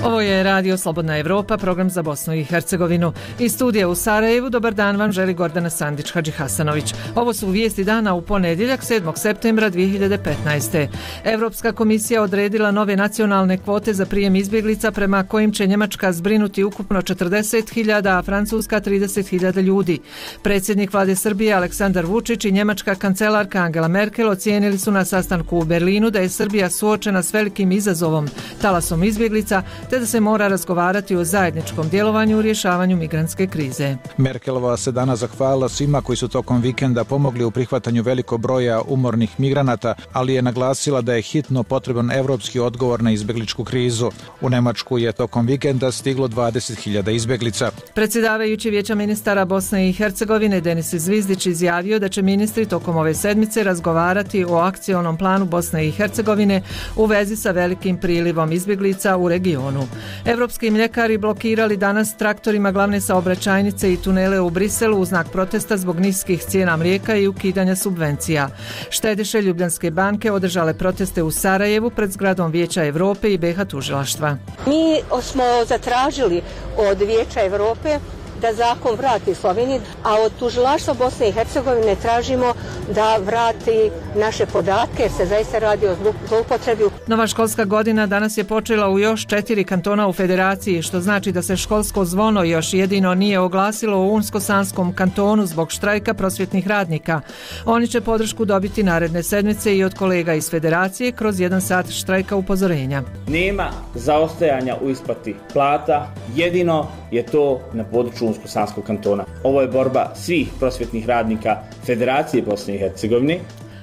Ovo je Radio Slobodna Evropa, program za Bosnu i Hercegovinu. Iz studija u Sarajevu, dobar dan vam želi Gordana Sandić-Hadžihasanović. Ovo su vijesti dana u ponedjeljak 7. septembra 2015. Evropska komisija odredila nove nacionalne kvote za prijem izbjeglica prema kojim će Njemačka zbrinuti ukupno 40.000, a Francuska 30.000 ljudi. Predsjednik vlade Srbije Aleksandar Vučić i njemačka kancelarka Angela Merkel ocijenili su na sastanku u Berlinu da je Srbija suočena s velikim izazovom, talasom izbjeglica, te da se mora razgovarati o zajedničkom djelovanju u rješavanju migrantske krize. Merkelova se danas zahvalila svima koji su tokom vikenda pomogli u prihvatanju velikog broja umornih migranata, ali je naglasila da je hitno potreban evropski odgovor na izbjegličku krizu. U Njemačku je tokom vikenda stiglo 20.000 izbjeglica. Predsjedavajući Vijeća ministara Bosne i Hercegovine Denis Zvizdić izjavio da će ministri tokom ove sedmice razgovarati o akcionom planu Bosne i Hercegovine u vezi sa velikim prilivom izbjeglica u regionu. Evropski mljekari blokirali danas traktorima glavne saobraćajnice i tunele u Briselu u znak protesta zbog niskih cijena mlijeka i ukidanja subvencija. Štediše Ljubljanske banke održale proteste u Sarajevu pred zgradom Vijeća Europe i BiH tužilaštva. Mi smo zatražili od Vijeća Europe da zakon vrati Sloveniji, a od tužilaštva Bosne i Hercegovine tražimo da vrati naše podatke jer se zaista radi o zloupotrebi. Nova školska godina danas je počela u još 4 kantona u federaciji, što znači da se školsko zvono još jedino nije oglasilo u Unsko-Sanskom kantonu zbog štrajka prosvjetnih radnika. Oni će podršku dobiti naredne sedmice i od kolega iz federacije kroz 1 sat štrajka upozorenja. Nema zaostajanja u isplati plata, jedino je to na području Unsko-Sanskog kantona. Ovo je borba svih prosvjetnih radnika Federacije Bosne i Hercegovine.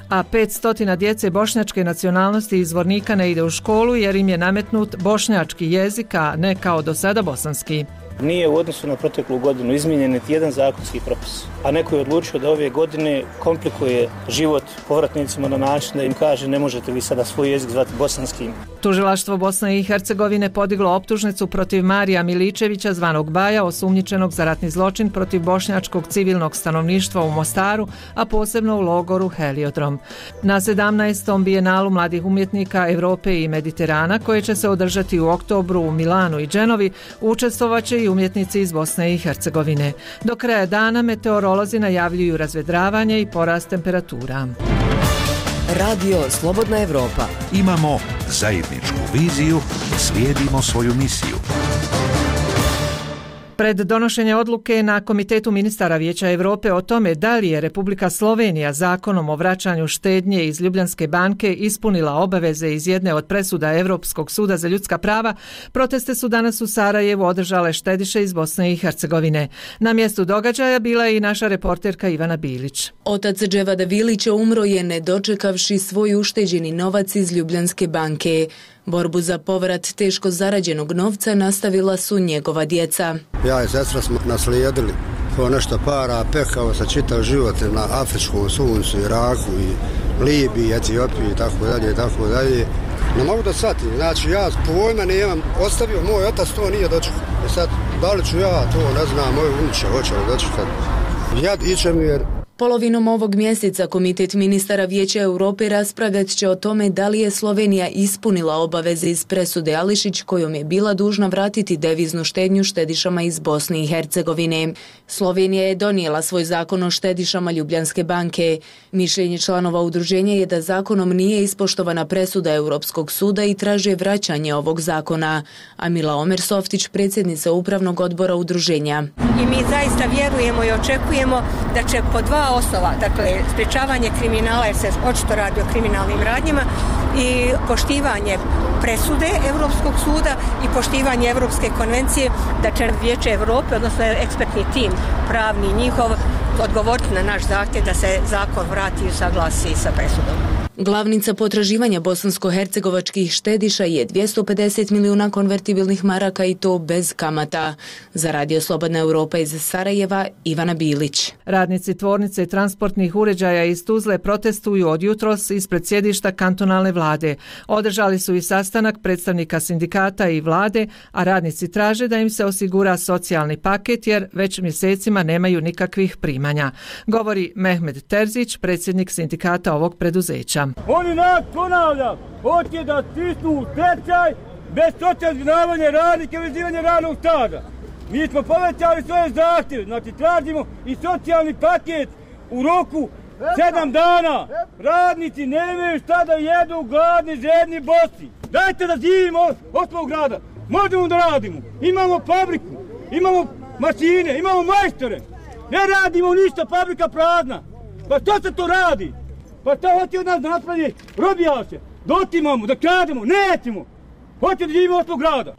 A 500 djece bošnjačke nacionalnosti iz Zvornika ne ide u školu jer im je nametnut bošnjački jezik, a ne kao do sada bosanski. Nije u odnosu na proteklu godinu izmijenjen niti jedan zakonski propis, a neko je odlučio da ove godine komplikuje život povratnicima na način da im kaže ne možete vi sada svoj jezik zvati bosanskim. Tužilaštvo Bosne i Hercegovine podiglo optužnicu protiv Marija Miličevića zvanog Baja, osumnjičenog za ratni zločin protiv bošnjačkog civilnog stanovništva u Mostaru, a posebno u logoru Heliodrom. Na 17. bijenalu mladih umjetnika Europe i Mediterana, koje će se održati u oktobru u Milanu i Dženovi, učestvovaće i umjetnici iz Bosne i Hercegovine. Do kraja dana meteorolozi najavljuju razvedravanje i porast temperatura. Radio Slobodna Evropa. Imamo zajedničku viziju, slijedimo svoju misiju. Pred donošenje odluke na Komitetu ministara Vijeća Europe o tome da li je Republika Slovenija zakonom o vraćanju štednje iz Ljubljanske banke ispunila obaveze iz jedne od presuda Europskog suda za ljudska prava, proteste su danas u Sarajevu održale štediše iz Bosne i Hercegovine. Na mjestu događaja bila je i naša reporterka Ivana Bilić. Otac Dževada Vilića umro je ne dočekavši svoj ušteđeni novac iz Ljubljanske banke. Borbu za povrat teško zarađenog novca nastavila su njegova djeca. Ja i sestra smo naslijedili po nešto para, pekao sa čitav život na afričkom suncu, Iraku i Libiji, Etiopiji i tako dalje i tako dalje. Ne mogu da shvatim, znači ja pojma nemam, ostavio moj otac, to nije dočekao. I sad, da li ću ja to, ne znam, moj unuče hoće li dočekati. Jad iće mi jer... Polovinom ovog mjeseca Komitet ministara Vijeća Europe raspravljat će o tome da li je Slovenija ispunila obaveze iz presude Ališić kojom je bila dužna vratiti deviznu štednju štedišama iz Bosne i Hercegovine. Slovenija je donijela svoj zakon o štedišama Ljubljanske banke. Mišljenje članova udruženja je da zakonom nije ispoštovana presuda Europskog suda i traže vraćanje ovog zakona. Amila Omer-Softić, predsjednica upravnog odbora udruženja. I mi zaista vjerujemo i očekujemo da će po 2 osnova, dakle sprječavanje kriminala jer se očito radi o kriminalnim radnjama i poštivanje presude Europskog suda i poštivanje Europske konvencije, da će Vijeće Europe, odnosno ekspertni tim pravni njihov, odgovoriti na naš zahtjev da se zakon vrati i usaglasi sa presudom. Glavnica potraživanja bosansko-hercegovačkih štediša je 250 milijuna konvertibilnih maraka i to bez kamata. Za Radio Slobodna Europa iz Sarajeva, Ivana Bilić. Radnici tvornice transportnih uređaja iz Tuzle protestuju od jutros ispred sjedišta kantonalne vlade. Održali su i sastanak predstavnika sindikata i vlade, a radnici traže da im se osigura socijalni paket jer već mjesecima nemaju nikakvih primanja. Govori Mehmed Terzić, predsjednik sindikata ovog preduzeća. Oni nas, ponavljam, hoće da stisnu u stečaj bez socijalnog zbrinjavanja radnika i vezivanja radnog staža. Mi smo povećali svoje zahtjeve, znači tražimo i socijalni paket u roku 7 dana. Radnici nemaju šta da jedu, gladni, žedni, bosi. Dajte da živimo od svog grada. Možemo da radimo. Imamo fabriku, imamo mašine, imamo majstore. Ne radimo ništa, fabrika prazna. Pa što se to radi? Pa šta hoće od nas da napravi robijaše? Da otimamo, da krademo, nećemo. Hoće da živimo od svog grada.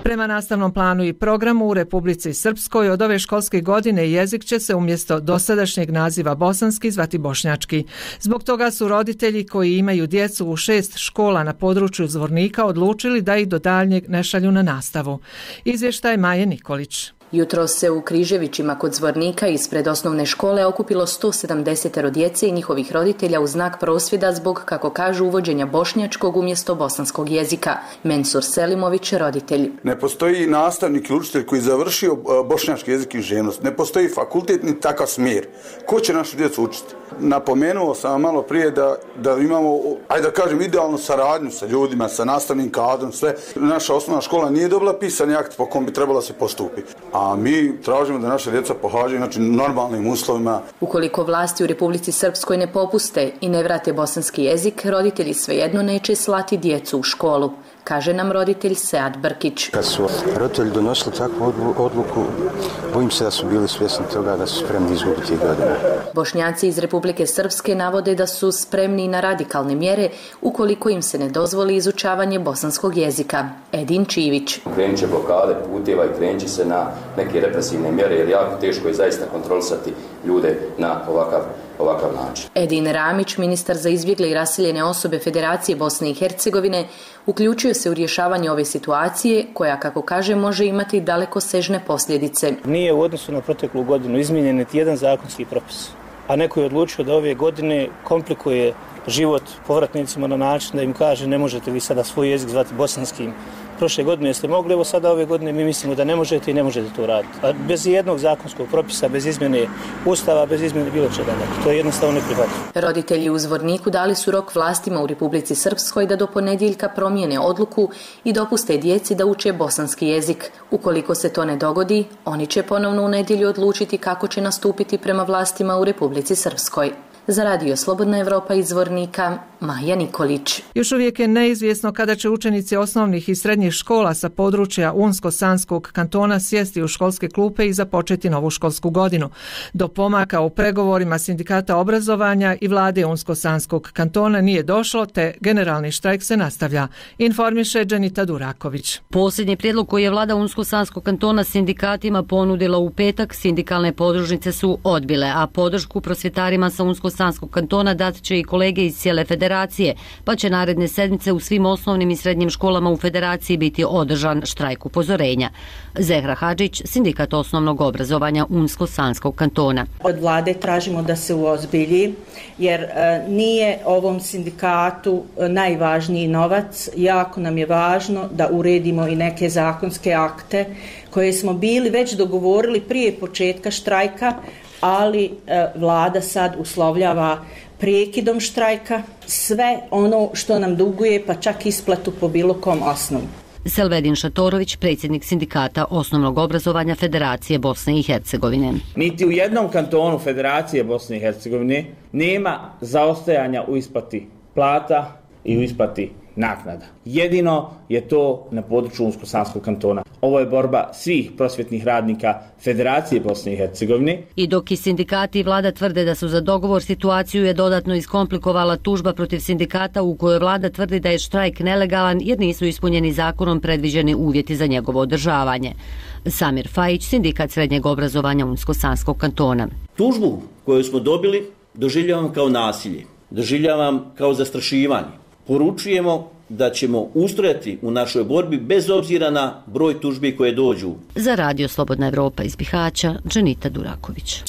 Prema nastavnom planu i programu u Republici Srpskoj od ove školske godine jezik će se umjesto dosadašnjeg naziva bosanski zvati bošnjački. Zbog toga su roditelji koji imaju djecu u 6 škola na području Zvornika odlučili da ih do daljnjeg ne šalju na nastavu. Izvještaj Maje Nikolić. Jutros se u Križevićima kod Zvornika ispred osnovne škole okupilo 170 djece i njihovih roditelja u znak prosvjeda zbog, kako kažu, uvođenja bošnjačkog umjesto bosanskog jezika. Mensur Selimović, roditelj. Ne postoji nastavnik ili učitelj koji završio bošnjački jezik i književnost. Ne postoji fakultet ni takav smjer. Ko će našu djecu učiti? Napomenuo sam malo prije da imamo, ajde da kažem, idealnu saradnju sa ljudima, sa nastavnim kadrom, sve. Naša osnovna škola nije dobila pisani akt po kom bi trebalo se postupiti. A mi tražimo da naša djeca pohađaju normalnim uslovima. Ukoliko vlasti u Republici Srpskoj ne popuste i ne vrate bosanski jezik, roditelji svejedno neće slati djecu u školu, kaže nam roditelj Sead Brkić. Kad su roditelji donosili takvu odluku, bojim se da su bili svjesni toga da su spremni izgubiti godine. Bošnjaci iz Republike Srpske navode da su spremni na radikalne mjere ukoliko im se ne dozvoli izučavanje bosanskog jezika. Edin Čivić. Krenut će blokade puteva i krenut će se na neke represivne mjere jer jako teško je zaista kontrolisati ljude na ovakav način. Edin Ramić, ministar za izbjegle i raseljene osobe Federacije Bosne i Hercegovine, uključuje se u rješavanje ove situacije koja, kako kaže, može imati dalekosežne posljedice. Nije u odnosu na proteklu godinu izmijenjen niti jedan zakonski propis, a neko je odlučio da ove godine komplikuje život povratnicima na način da im kaže ne možete vi sada svoj jezik zvati bosanskim. Prošle godine ste mogli, evo sada ove godine mi mislimo da ne možete i ne možete to raditi. A bez jednog zakonskog propisa, bez izmjene Ustava, bez izmjene bilo čega. To je jednostavno neprihvatljivo. Roditelji u Zvorniku dali su rok vlastima u Republici Srpskoj da do ponedjeljka promijene odluku i dopuste djeci da uče bosanski jezik. Ukoliko se to ne dogodi, oni će ponovno u nedjelju odlučiti kako će nastupiti prema vlastima u Republici Srpskoj. Za Radio Slobodna Evropa iz Zvornika, Maja Nikolić. Još uvijek je neizvjesno kada će učenici osnovnih i srednjih škola sa područja Unsko-Sanskog kantona sjesti u školske klupe i započeti novu školsku godinu. Do pomaka u pregovorima sindikata obrazovanja i vlade Unsko-Sanskog kantona nije došlo, te generalni štrajk se nastavlja, informiše Dženita Duraković. Posljednji prijedlog koji je vlada Unsko-Sanskog kantona sindikatima ponudila u petak, sindikalne podružnice su odbile, a podršku prosvjetarima sa Unsko-Sanskog kantona dat će i kolege iz cijele federacije, pa će naredne sedmice u svim osnovnim i srednjim školama u federaciji biti održan štrajk upozorenja. Zehra Hadžić, sindikat osnovnog obrazovanja Unsko-Sanskog kantona. Od vlade tražimo da se uozbilji, jer nije ovom sindikatu najvažniji novac. Jako nam je važno da uredimo i neke zakonske akte koje smo bili već dogovorili prije početka štrajka, ali vlada sad uslovljava prekidom štrajka sve ono što nam duguje, pa čak isplatu po bilo kom osnovu. Selvedin Šatorović, predsjednik sindikata osnovnog obrazovanja Federacije Bosne i Hercegovine. Niti u jednom kantonu Federacije Bosne i Hercegovine nema zaostajanja u isplati plata i u isplati naknada. Jedino je to na području Unsko-Sanskog kantona. Ovo je borba svih prosvjetnih radnika Federacije Bosne i Hercegovine. I dok i sindikati i vlada tvrde da su za dogovor, situaciju je dodatno iskomplikovala tužba protiv sindikata u kojoj vlada tvrdi da je štrajk nelegalan jer nisu ispunjeni zakonom predviđeni uvjeti za njegovo održavanje. Samir Fajić, sindikat srednjeg obrazovanja Unsko-Sanskog kantona. Tužbu koju smo dobili doživljavam kao nasilje, doživljavam kao zastrašivanje. Poručujemo da ćemo ustrajati u našoj borbi bez obzira na broj tužbi koje dođu. Za Radio Slobodna Evropa iz Bihaća, Dženita Duraković.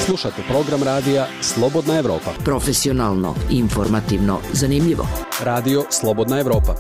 Slušate program radija Slobodna Evropa. Profesionalno, informativno, zanimljivo. Radio Slobodna Evropa.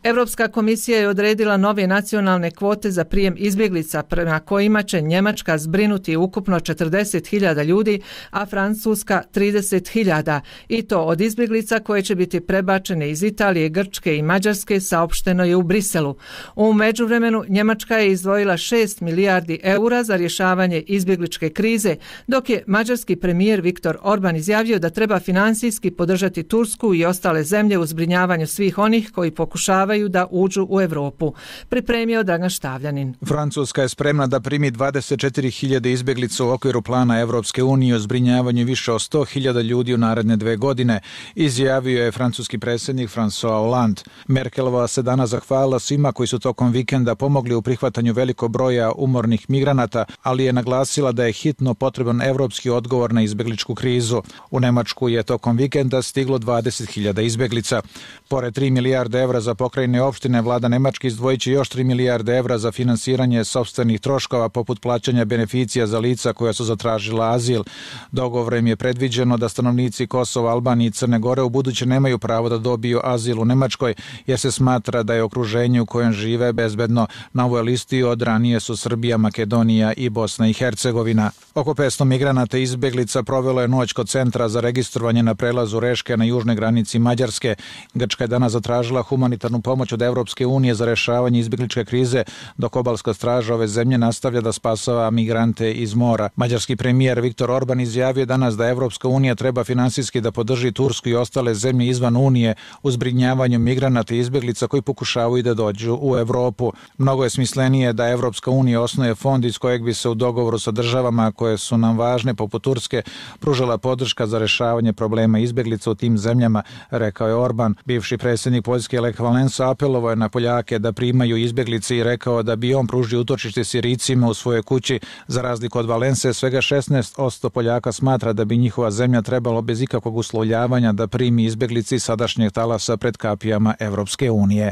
Europska komisija je odredila nove nacionalne kvote za prijem izbjeglica prema kojima će Njemačka zbrinuti ukupno 40.000 ljudi, a Francuska 30.000, i to od izbjeglica koje će biti prebačene iz Italije, Grčke i Mađarske, saopšteno je u Briselu. U međuvremenu Njemačka je izdvojila 6 milijardi eura za rješavanje izbjegličke krize, dok je mađarski premijer Viktor Orban izjavio da treba financijski podržati Tursku i ostale zemlje u zbrinjavanju svih onih koji pokušavaju da uđu u Europu. Pripremio Dragan Štavljanin. Francuska je spremna da primi 24.000 izbjeglica u okviru plana Evropske unije o zbrinjavanju više od 100.000 ljudi u naredne 2 godine, izjavio je francuski predsjednik François Hollande. Merkelova se danas zahvalila svima koji su tokom vikenda pomogli u prihvatanju velikog broja umornih migranata, ali je naglasila da je hitno potreban evropski odgovor na izbjegličku krizu. U Nemačku je tokom vikenda stiglo 20.000 izbjeglica. Pored 3 milijarde evra za pokrajine opštine, vlada Nemačke izdvojit će još 3 milijarde evra za finansiranje sopstvenih troškova poput plaćanja beneficija za lica koja su zatražila azil. Dogovorem je predviđeno da stanovnici Kosova, Albanije i Crne Gore u buduće nemaju pravo da dobiju azil u Nemačkoj, jer se smatra da je okruženje u kojem žive bezbedno. Na ovoj listi od ranije su Srbija, Makedonija i Bosna i Hercegovina. Oko 500 migranata i izbjeglica provelo je noć kod centra za registrovanje na prelazu Reške na južnoj granici Mađarske. Grčka je danas zatražila humanitarnu pomoć od Evropske unije za rešavanje izbjegličke krize, dok obalska straža ove zemlje nastavlja da spasava migrante iz mora. Mađarski premijer Viktor Orban izjavio danas da Evropska unija treba finansijski da podrži Tursku i ostale zemlje izvan unije u zbrinjavanju migranata i izbjeglica koji pokušavaju da dođu u Evropu. Mnogo je smislenije da Evropska unija osnuje fond iz kojeg bi se u dogovoru sa državama koje su nam važne, poput Turske, pružala podrška za rešavanje problema izbjeglica u tim zemljama, rekao je Orban. Bivši predsjednik Poljske Lech Walesa apelovao je na Poljake da primaju izbjeglice i rekao da bi on pružio utočište Sirijcima u svojoj kući. Za razliku od Valense, svega 16% Poljaka smatra da bi njihova zemlja trebalo bez ikakvog uslovljavanja da primi izbjeglice iz sadašnjeg talasa pred kapijama Evropske unije.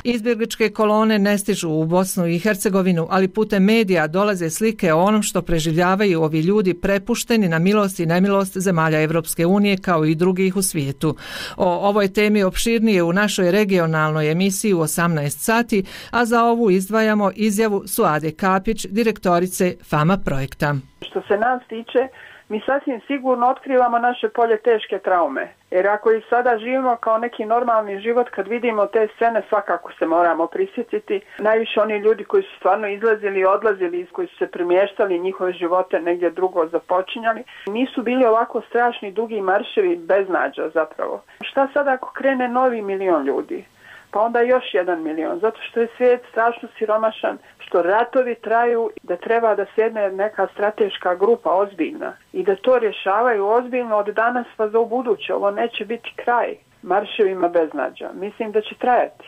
Izbjegličke kolone ne stižu u Bosnu i Hercegovinu, ali putem medija dolaze slike o onom što preživljavaju ovi ljudi prepušteni na milost i nemilost zemalja Evropske unije kao i drugih u svijetu. O ovoj temi opširnije u našoj regionalnoj emisiji u 18 sati, a za ovu izdvajamo izjavu Suade Kapić, direktorice FAMA projekta. Što se nas tiče, mi sasvim sigurno otkrivamo naše polje teške traume. Jer ako i sada živimo kao neki normalni život, kad vidimo te scene, svakako se moramo prisjetiti. Najviše oni ljudi koji su stvarno izlazili i odlazili, koji su se primještali, njihove živote negdje drugo započinjali, nisu bili ovako strašni dugi marševi beznađa zapravo. Šta sad ako krene novi 1 milion ljudi? Pa onda još 1 milion, zato što je svijet strašno siromašan, što ratovi traju, da treba da sjedne neka strateška grupa ozbiljna i da to rješavaju ozbiljno od danas pa za ubuduće. Ovo neće biti kraj marševima beznađa. Mislim da će trajati.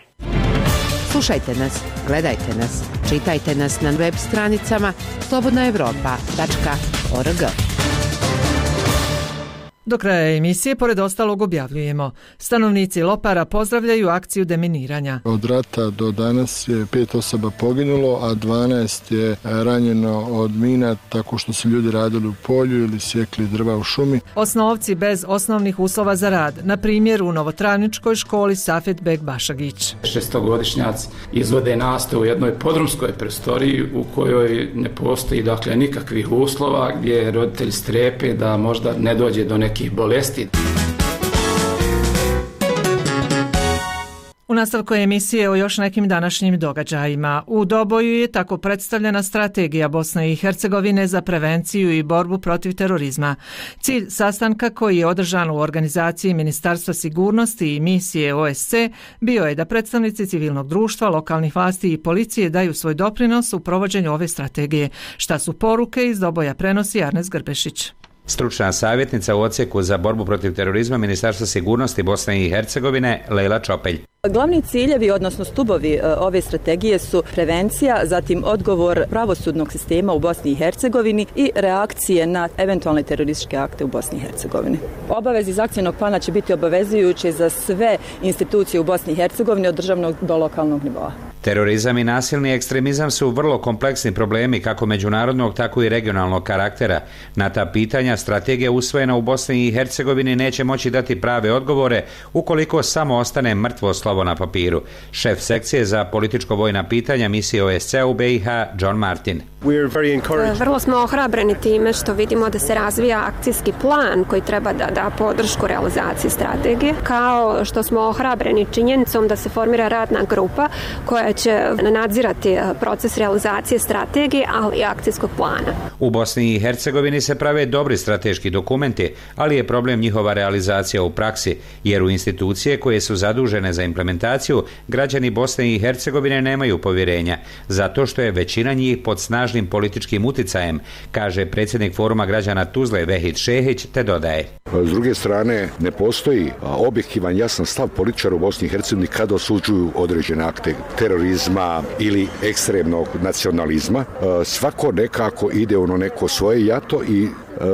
Slušajte nas, gledajte nas, čitajte nas na web stranicama slobodnaevropa.org. Do kraja emisije, pored ostalog, objavljujemo. Stanovnici Lopara pozdravljaju akciju deminiranja. Od rata do danas je 5 osoba poginulo, a 12 je ranjeno od mina tako što su ljudi radili u polju ili sjekli drva u šumi. Osnovci bez osnovnih uslova za rad, na primjer u Novotravničkoj školi Safet Bek Bašagić. 6-godišnjaci izvode nastavu u jednoj podrumskoj prostoriji u kojoj ne postoji nikakvih uslova, gdje roditelji strepe da možda ne dođe do nekih bolesti. U nastavku emisije o još nekim današnjim događajima. U Doboju je tako predstavljena strategija Bosne i Hercegovine za prevenciju i borbu protiv terorizma. Cilj sastanka, koji je održan u organizaciji Ministarstva sigurnosti i misije OSC, bio je da predstavnici civilnog društva, lokalnih vlasti i policije daju svoj doprinos u provođenju ove strategije. Šta su poruke iz Doboja, prenosi Arnes Grbešić. Stručna savjetnica u odsjeku za borbu protiv terorizma Ministarstva sigurnosti Bosne i Hercegovine Lejla Čopelj. Glavni ciljevi, odnosno stubovi ove strategije su prevencija, zatim odgovor pravosudnog sistema u Bosni i Hercegovini i reakcije na eventualne terorističke akte u Bosni i Hercegovini. Obaveze iz akcijnog plana će biti obavezujuće za sve institucije u Bosni i Hercegovini od državnog do lokalnog nivoa. Terorizam i nasilni ekstremizam su vrlo kompleksni problemi kako međunarodnog, tako i regionalnog karaktera. Na ta pitanja strategija usvojena u Bosni i Hercegovini neće moći dati prave odgovore ukoliko samo ostane mrtvo slovo na papiru. Šef sekcije za političko-vojna pitanja misije OSCE u BiH, John Martin. Vrlo smo ohrabreni time što vidimo da se razvija akcijski plan koji treba da da podršku realizaciji strategije, kao što smo ohrabreni činjenicom da se formira radna grupa koja će nadzirati proces realizacije strategije, ali i akcijskog plana. U Bosni i Hercegovini se prave dobri strateški dokumenti, ali je problem njihova realizacija u praksi, jer u institucije koje su zadužene za implementaciju građani Bosne i Hercegovine nemaju povjerenja, zato što je većina njih pod snažnim političkim uticajem, kaže predsjednik Foruma građana Tuzle Vehid Šehić, te dodaje. S druge strane, ne postoji objektivan jasan stav političara u Bosni i Hercegovini kada osuđuju određene akte terorizma ili ekstremnog nacionalizma. Svako nekako ide ono neko svoje jato i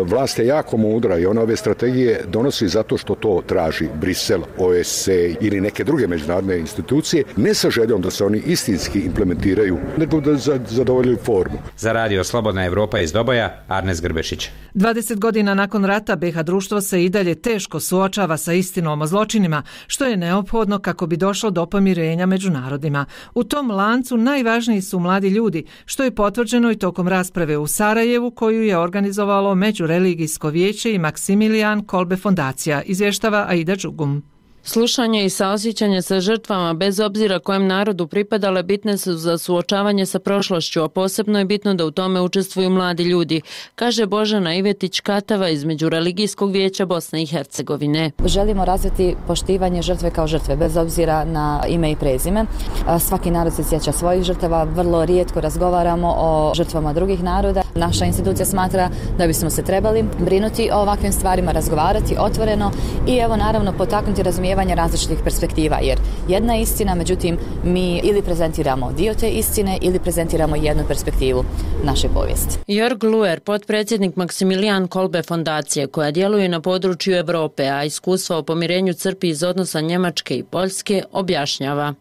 vlast je jako mudra i ona ove strategije donosi zato što to traži Brisel, OSCE ili neke druge međunarodne institucije, ne sa željom da se oni istinski implementiraju, nego da zadovoljuju formu. Za Radio Slobodna Evropa iz Doboja, Arnes Grbešić. 20 godina nakon rata BiH društvo se i dalje teško suočava sa istinom o zločinima, što je neophodno kako bi došlo do pomirenja među narodima. U tom lancu najvažniji su mladi ljudi, što je potvrđeno i tokom rasprave u Sarajevu koju je organizovalo Međureligijsko vijeće i Maksimilijan Kolbe fondacija, izvještava Aida Đugum. Slušanje i saosjećanje sa žrtvama, bez obzira kojem narodu pripadale, bitne su za suočavanje sa prošlošću, a posebno je bitno da u tome učestvuju mladi ljudi, kaže Božana Ivetić-Katava iz Međureligijskog vijeća Bosne i Hercegovine. Želimo razviti poštivanje žrtve kao žrtve, bez obzira na ime i prezime. Svaki narod se sjeća svojih žrtava, vrlo rijetko razgovaramo o žrtvama drugih naroda. Naša institucija smatra da bismo se trebali brinuti o ovakvim stvarima, razgovarati otvoreno i evo naravno potaknuti razumijevanje različitih perspektiva, jer jedna je istina, međutim mi ili prezentiramo dio te istine ili prezentiramo jednu perspektivu naše povijesti. Jörg Luer, potpredsjednik Maksimilijan Kolbe fondacije koja djeluje na području Europe, a iskustvo o pomirenju crpi iz odnosa Njemačke i Poljske, objašnjava.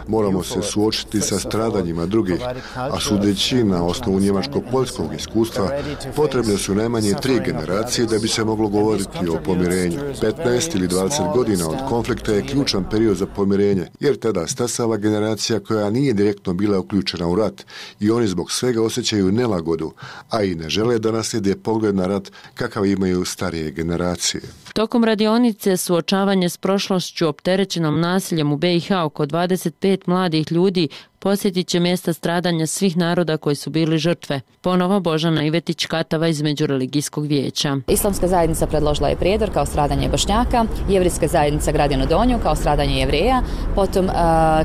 Moramo se suočiti sa stradanjima drugih, a sudeći na osnovu njemačko-poljskog iskustva potrebne su najmanje 3 generacije da bi se moglo govoriti o pomirenju. 15 ili 20 godina od konflikta je ključan period za pomirenje, jer tada stasava generacija koja nije direktno bila uključena u rat i oni zbog svega osjećaju nelagodu, a i ne žele da naslijede pogled na rat kakav imaju starije generacije. Tokom radionice suočavanje s prošlošću opterećenom nasiljem u BiH oko 25 mladih ljudi posjetit će mjesta stradanja svih naroda koji su bili žrtve. Ponovo Božana Ivetić-Katava iz Međureligijskog vijeća. Islamska zajednica predložila je Prijedor kao stradanje Bošnjaka, Jevrijska zajednica Gradinu Donju kao stradanje Jevreja, potom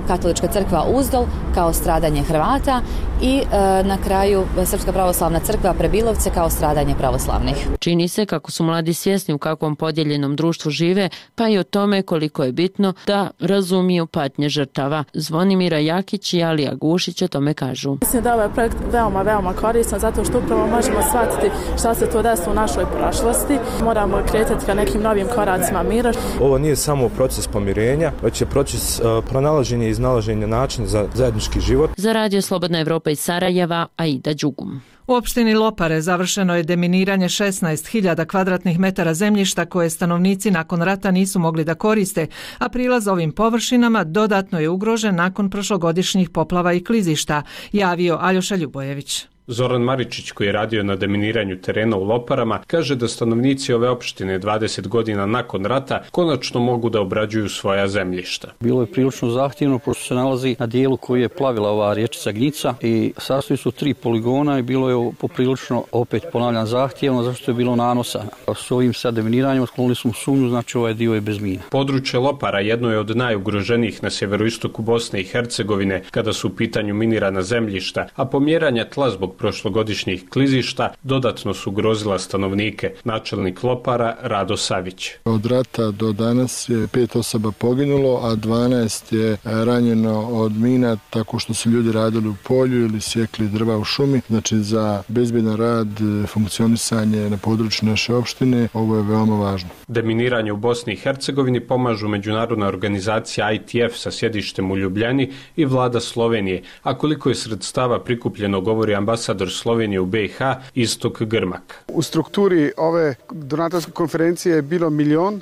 Katolička crkva Uzdol kao stradanje Hrvata i na kraju Srpska pravoslavna crkva Prebilovce kao stradanje pravoslavnih. Čini se kako su mladi svjesni u kakvom podijeljenom društvu žive, pa i o tome koliko je bitno da razumiju patnje žrtava. Zvonimira Jakić i Alija Gušić o tome kažu. Mislim da je ovaj projekt veoma koristan zato što upravo možemo shvatiti šta se to desilo u našoj prošlosti. Moramo kretati ka nekim novim koracima mira. Ovo nije samo proces pomirenja, već je proces pronalaženja i iznalaženja načina za zajednički život. Za Radio Slobodna Evropa iz Sarajeva, Aida Đugum. U opštini Lopare završeno je deminiranje 16.000 kvadratnih metara zemljišta koje stanovnici nakon rata nisu mogli da koriste, a prilaz ovim površinama dodatno je ugrožen nakon prošlogodišnjih poplava i klizišta, javio Aljoša Ljubojević. Zoran Maričić, koji je radio na deminiranju terena u Loparama, kaže da stanovnici ove opštine 20 godina nakon rata konačno mogu da obrađuju svoja zemljišta. Bilo je prilično zahtjevno, pošto se nalazi na dijelu koji je plavila ova rječica Gnjica i sastoji su 3 poligona i bilo je poprilično, opet ponavljam, zahtjevno, zašto je bilo nanosa. S ovim sad deminiranjem otklonili smo sumnju, znači ovaj dio je bez mina. Područje Lopara jedno je od najugroženijih na sjeveroistoku Bosne i Hercegovine kada su u pitanju minirana zemljišta, a pomjeranja tla zbog zbog prošlogodišnjih klizišta dodatno su ugrozila stanovnike. Načelnik Lopara Rado Savić. Od rata do danas je 5 osoba poginulo, a 12 je ranjeno od mina tako što su ljudi radili u polju ili sjekli drva u šumi. Znači za bezbjedan rad, funkcionisanje na području naše opštine, ovo je veoma važno. Deminiranje u Bosni i Hercegovini pomažu međunarodna organizacija ITF sa sjedištem u Ljubljani i vlada Slovenije, a koliko je sredstava prikupljeno govori ambasador Slovenije u BiH Istok Grmak. U strukturi ove donatorske konferencije je bilo 1 milion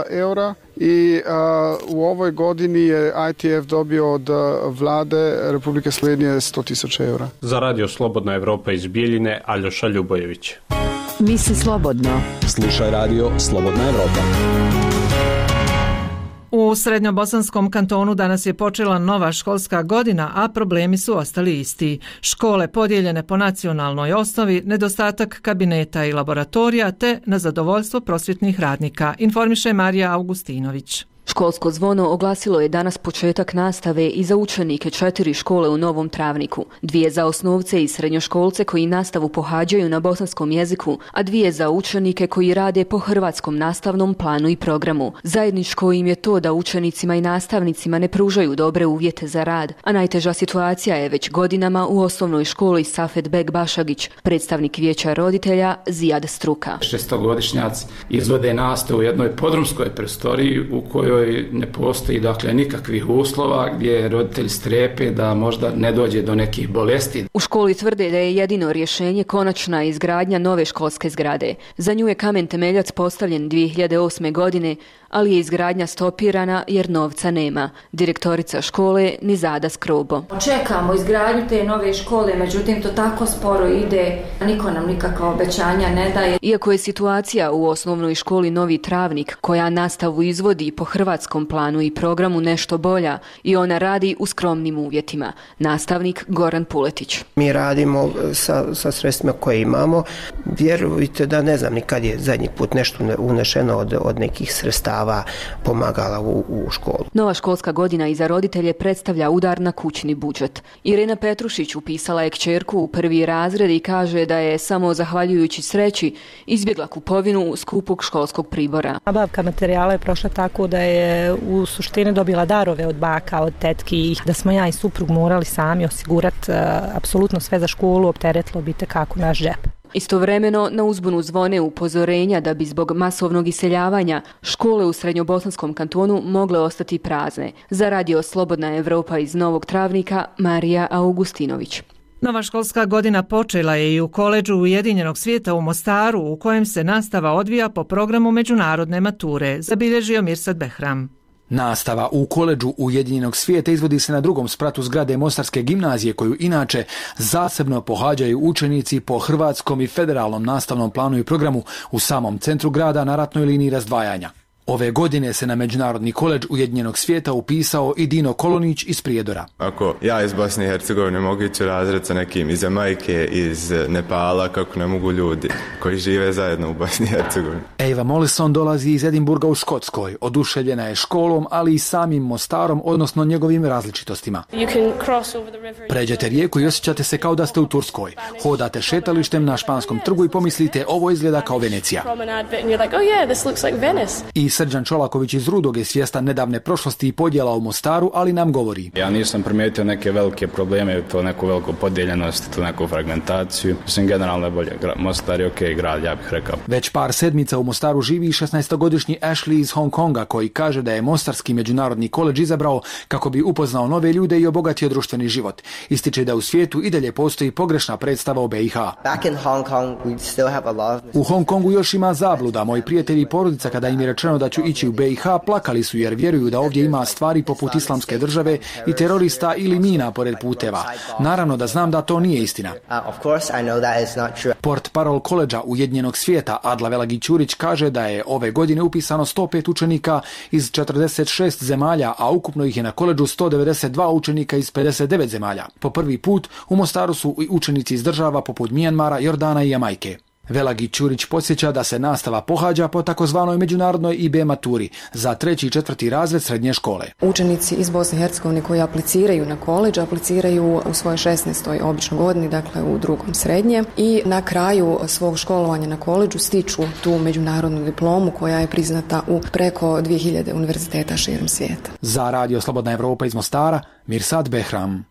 eura i u ovoj godini je ITF dobio od vlade Republike Slovenije 100.000 eura. Za Radio Slobodna Evropa iz Bijeljine, Aljoša Ljubojević. Misli slobodno. Slušaj Radio Slobodna Evropa. U Srednjobosanskom kantonu danas je počela nova školska godina, a problemi su ostali isti. Škole podijeljene po nacionalnoj osnovi, nedostatak kabineta i laboratorija te nezadovoljstvo prosvjetnih radnika, informiše Marija Augustinović. Školsko zvono oglasilo je danas početak nastave i za učenike 4 škole u Novom Travniku, 2 za osnovce i srednjoškolce koji nastavu pohađaju na bosanskom jeziku, a 2 za učenike koji rade po hrvatskom nastavnom planu i programu. Zajedničko im je to da učenicima i nastavnicima ne pružaju dobre uvjete za rad, a najteža situacija je već godinama u osnovnoj školi Safet Bek Bašagić, predstavnik vijeća roditelja Zijad Struka. 6-godišnjaci izvode nastavu u jednoj podrumskoj prostoriji u kojoj ne postoji dakle nikakvih uslova gdje roditelji strepe da možda ne dođe do nekih bolesti. U školi tvrde da je jedino rješenje konačna izgradnja nove školske zgrade. Za nju je kamen temeljac postavljen 2008. godine, ali je izgradnja stopirana jer novca nema. Direktorica škole Nizada Skrobo. Čekamo izgradnju te nove škole, međutim to tako sporo ide, niko nam nikakva obećanja ne daje. Iako je situacija u osnovnoj školi Novi Travnik, koja nastavu izvodi po hrvatskom planu i programu, nešto bolja, i ona radi u skromnim uvjetima. Nastavnik Goran Puletić. Mi radimo sa sredstvima koje imamo. Vjerujte da ne znam ni kad je zadnji put nešto unešeno od nekih sredstava pomagala u školu. Nova školska godina i za roditelje predstavlja udar na kućni budžet. Irena Petrušić upisala je kćerku u 1. razred i kaže da je samo zahvaljujući sreći izbjegla kupovinu skupog školskog pribora. Nabavka materijala je prošla tako da je u suštini dobila darove od baka, od tetki, da smo ja i suprug morali sami osigurati apsolutno sve za školu, opteretilo bi tekako naš džep. Istovremeno na uzbunu zvone upozorenja da bi zbog masovnog iseljavanja škole u Srednjobosanskom kantonu mogle ostati prazne. Za Radio Slobodna Evropa iz Novog Travnika, Marija Augustinović. Nova školska godina počela je i u koledžu Ujedinjenog svijeta u Mostaru, u kojem se nastava odvija po programu međunarodne mature, zabilježio Mirsad Behram. Nastava u koledžu Ujedinjenog svijeta izvodi se na drugom spratu zgrade Mostarske gimnazije, koju inače zasebno pohađaju učenici po hrvatskom i federalnom nastavnom planu i programu u samom centru grada na ratnoj liniji razdvajanja. Ove godine se na Međunarodni koledž Ujedinjenog svijeta upisao i Dino Kolonić iz Prijedora. Ako ja iz Bosne i Hercegovine mogu ići razred sa nekim iz Jamajke, iz Nepala, kako ne mogu ljudi koji žive zajedno u Bosni i Hercegovini. Eva Mollison dolazi iz Edinburga u Škotskoj. Oduševljena je školom, ali i samim Mostarom, odnosno njegovim različitostima. Pređete rijeku i osjećate se kao da ste u Turskoj. Hodate šetalištem na Španskom trgu i pomislite ovo izgleda kao Venecija. I Srđan Čolaković iz Rudog je svjestan nedavne prošlosti i podjela u Mostaru, ali nam govori. Ja nisam primijetio neke velike probleme, to neku veliku podijeljenost, to neku fragmentaciju. Mislim, generalno je bolje. Mostar je okej grad, ja bih rekao. Već par sedmica u Mostaru živi 16-godišnji Ashley iz Hong Konga, koji kaže da je Mostarski međunarodni koledž izabrao kako bi upoznao nove ljude i obogatio društveni život. Ističe da u svijetu i dalje postoji pogrešna predstava o BiH. U Hong Kongu još ima zabluda. Moji prijatelji i porodica, kada im je rečeno da ću ići u BiH, plakali su jer vjeruju da ovdje ima stvari poput islamske države i terorista ili mina pored puteva. Naravno da znam da to nije istina. Port parol koledža Ujedinjenog svijeta Adla Velagić-Ćurić kaže da je ove godine upisano 105 učenika iz 46 zemalja, a ukupno ih je na koledžu 192 učenika iz 59 zemalja. Po prvi put u Mostaru su i učenici iz država poput Mijanmara, Jordana i Jamajke. Velagi Ćurić podsjeća da se nastava pohađa po takozvanoj međunarodnoj IB maturi za 3. i 4. razred srednje škole. Učenici iz Bosne i Hercegovine koji apliciraju na koledž, apliciraju u svojoj 16. običnoj godini, dakle u 2. srednje, i na kraju svog školovanja na koledžu stiču tu međunarodnu diplomu koja je priznata u preko 2000 univerziteta širom svijeta. Za Radio Slobodna Evropa iz Mostara, Mirsad Behram.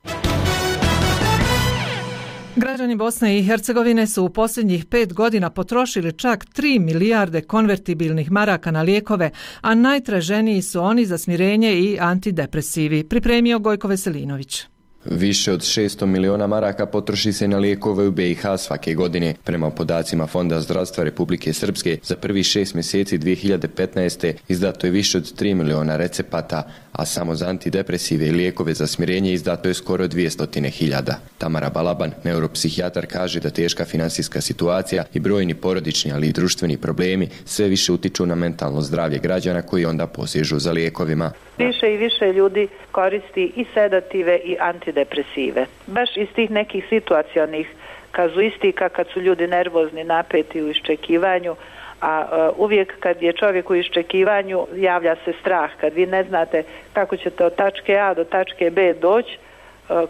Građani Bosne i Hercegovine su u posljednjih 5 godina potrošili čak 3 milijarde konvertibilnih maraka na lijekove, a najtraženiji su oni za smirenje i antidepresivi, pripremio Gojko Veselinović. Više od 600 miliona maraka potroši se na lijekove u BiH svake godine. Prema podacima Fonda zdravstva Republike Srpske, za prvih 6 mjeseci 2015. izdato je više od 3 miliona recepata, a samo za antidepresive i lijekove za smirenje izdato je skoro 200.000. Tamara Balaban, neuropsihijatar, kaže da teška finansijska situacija i brojni porodični, ali i društveni problemi sve više utiču na mentalno zdravlje građana koji onda posežu za lijekovima. Više i više ljudi koristi i sedative i antidepresive. Baš iz tih nekih situacionih kazuistika kad su ljudi nervozni, napeti u iščekivanju, a uvijek kad je čovjek u iščekivanju javlja se strah. Kad vi ne znate kako ćete od tačke A do tačke B doći,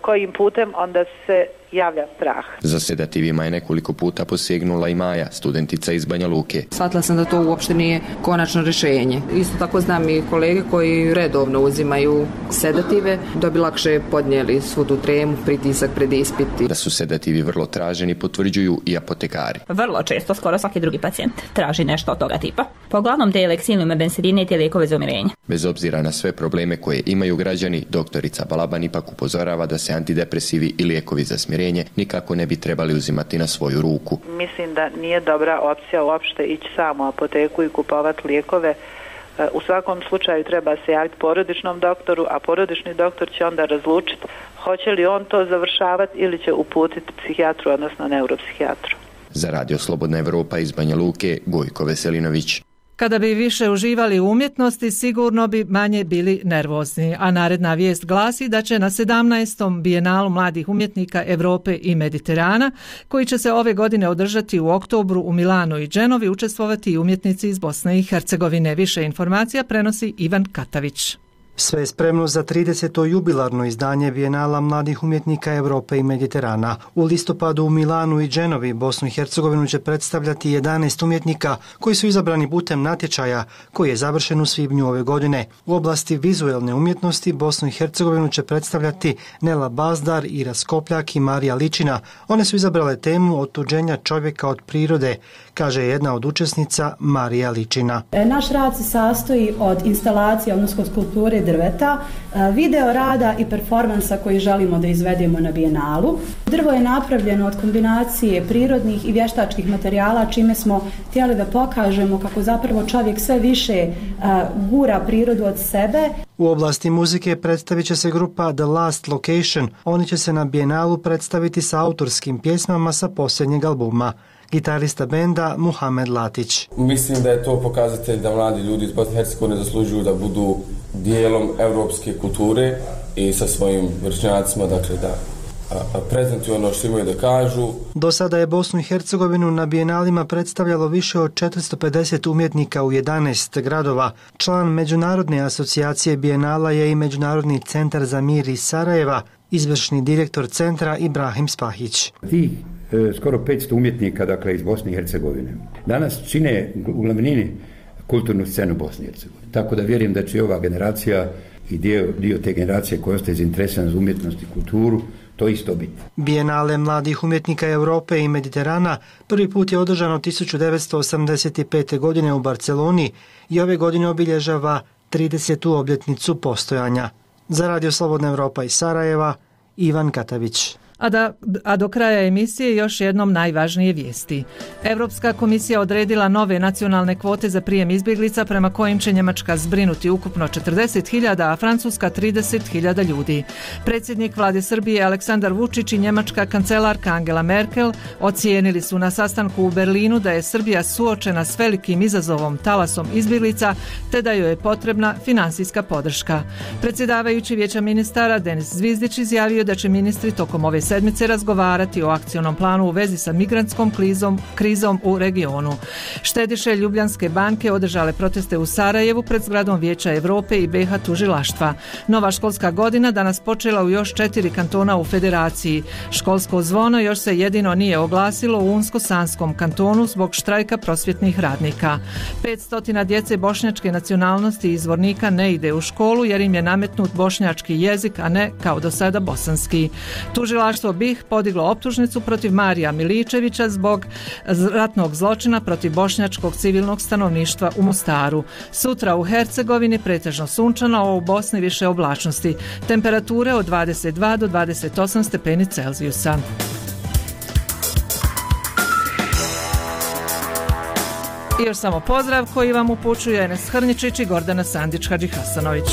kojim putem, onda se javlja strah. Za sedativima je nekoliko puta posegnula i Maja, studentica iz Banja Luke. Shvatila sam da to uopšte nije konačno rješenje. Isto tako znam i kolege koji redovno uzimaju sedative da bi lakše podnijeli svu tu tremu, pritisak pred ispiti. Da su sedativi vrlo traženi potvrđuju i apotekari. Vrlo često, skoro svaki drugi pacijent traži nešto od toga tipa. Pa uglavnom te leksilnume, bensedine i te lijekove za umirenje. Bez obzira na sve probleme koje imaju građani, doktorica Balaban ipak upozorava da se antidepresivi i lijekovi za smirenje nikako ne bi trebali uzimati na svoju ruku. Mislim da nije dobra opcija uopšte ići samo u apoteku i kupovati lijekove. U svakom slučaju treba se javiti porodičnom doktoru, a porodični doktor će onda razlučiti hoće li on to završavati ili će uputiti psihijatru, odnosno neuropsihijatru. Za Radio Slobodna Evropa iz Banja Luke, Gojko Veselinović. Kada bi više uživali u umjetnosti, sigurno bi manje bili nervozni. A naredna vijest glasi da će na 17. bijenalu mladih umjetnika Europe i Mediterana, koji će se ove godine održati u oktobru u Milanu i Dženovi, učestvovati i umjetnici iz Bosne i Hercegovine. Više informacija prenosi Ivan Katavić. Sve je spremno za 30. jubilarno izdanje Bijenala mladih umjetnika Europe i Mediterana. U listopadu u Milanu i Dženovi Bosnu i Hercegovinu će predstavljati 11 umjetnika koji su izabrani putem natječaja koji je završen u svibnju ove godine. U oblasti vizuelne umjetnosti Bosnu i Hercegovinu će predstavljati Nela Bazdar, Ira Skopljak i Marija Ličina. One su izabrale temu otuđenja čovjeka od prirode, kaže jedna od učesnica Marija Ličina. Naš rad se sastoji od instalacije, odnosno skulpture drveta, video rada i performansa koji želimo da izvedemo na bijenalu. Drvo je napravljeno od kombinacije prirodnih i vještačkih materijala, čime smo htjeli da pokažemo kako zapravo čovjek sve više gura prirodu od sebe. U oblasti muzike predstavit će se grupa The Last Location. Oni će se na bijenalu predstaviti sa autorskim pjesmama sa posljednjeg albuma. Gitarista benda Muhamed Latić. Mislim da je to pokazatelj da mladi ljudi iz Bosne i Hercegovine zaslužuju da budu dijelom europske kulture i sa svojim vršnjacima, dakle da prezentuju ono što imaju da kažu. Do sada je Bosnu i Hercegovinu na bijenalima predstavljalo više od 450 umjetnika u 11 gradova. Član Međunarodne asocijacije bijenala je i Međunarodni centar za mir iz Sarajeva, izvršni direktor centra Ibrahim Spahić. Skoro 500 umjetnika, dakle, iz Bosne i Hercegovine danas čine u glavnini kulturnu scenu Bosne i Hercegovine. Tako da vjerujem da će ova generacija i dio te generacije koja ostaje zainteresirana za umjetnost i kulturu to isto biti. Bijenale mladih umjetnika Europe i Mediterana prvi put je održano 1985. godine u Barceloni i ove godine obilježava 30. obljetnicu postojanja. Za Radio Slobodna Evropa iz Sarajeva, Ivan Katavić. A do kraja emisije još jednom najvažnije vijesti. Europska komisija odredila nove nacionalne kvote za prijem izbjeglica prema kojim će Njemačka zbrinuti ukupno 40.000, a Francuska 30.000 ljudi. Predsjednik vlade Srbije Aleksandar Vučić i njemačka kancelarka Angela Merkel ocijenili su na sastanku u Berlinu da je Srbija suočena s velikim izazovom talasom izbjeglica te da joj je potrebna finansijska podrška. Predsjedavajući Vijeća ministara Denis Zvizdić izjavio da će ministri tokom ove sedmice razgovarati o akcionom planu u vezi sa migrantskom krizom u regionu. Štediše Ljubljanske banke održale proteste u Sarajevu pred zgradom Vijeća Europe i BiH tužilaštva. Nova školska godina danas počela u još 4 kantona u federaciji. Školsko zvono još se jedino nije oglasilo u Unsko-Sanskom kantonu zbog štrajka prosvjetnih radnika. 500 djece bošnjačke nacionalnosti iz Zvornika ne ide u školu jer im je nametnut bošnjački jezik, a ne kao do sada bosanski. Tužilaštvo BiH podiglo optužnicu protiv Marija Miličevića zbog ratnog zločina protiv bošnjačkog civilnog stanovništva u Mostaru. Sutra u Hercegovini pretežno sunčano, a u Bosni više oblačnosti. Temperature od 22 do 28 stepeni Celzijusa. I još samo pozdrav koji vam upućuje Enes Hrničić i Gordana Sandić Hadžihasanović.